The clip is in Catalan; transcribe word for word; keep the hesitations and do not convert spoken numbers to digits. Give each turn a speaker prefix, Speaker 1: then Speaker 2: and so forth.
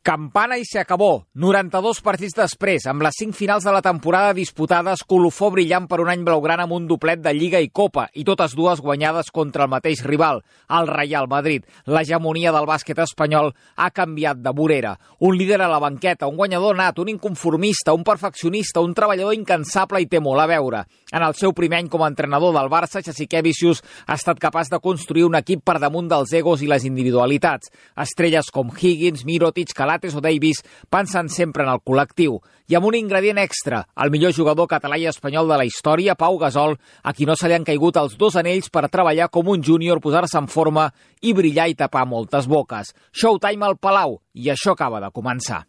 Speaker 1: Campana i se acabó. noranta-dos partits després, amb les cinc finals de la temporada disputades, colofó brillant per un any blaugrana amb un doblet de Lliga i Copa, i totes dues guanyades contra el mateix rival, el Real Madrid. L'hegemonia del bàsquet espanyol ha canviat de vorera. Un líder a la banqueta, un guanyador nat, un inconformista, un perfeccionista, un treballador incansable i té molt a veure. En el seu primer any com a entrenador del Barça, Jasikevičius ha estat capaç de construir un equip per damunt dels egos i les individualitats. Estrelles com Higgins, Mirotic, Calates o Davis pensen sempre en el col·lectiu. I amb un ingredient extra, el millor jugador català i espanyol de la història, Pau Gasol, a qui no se li han caigut els dos anells per treballar com un júnior, posar-se en forma i brillar i tapar moltes boques. Showtime al Palau, i això acaba de començar.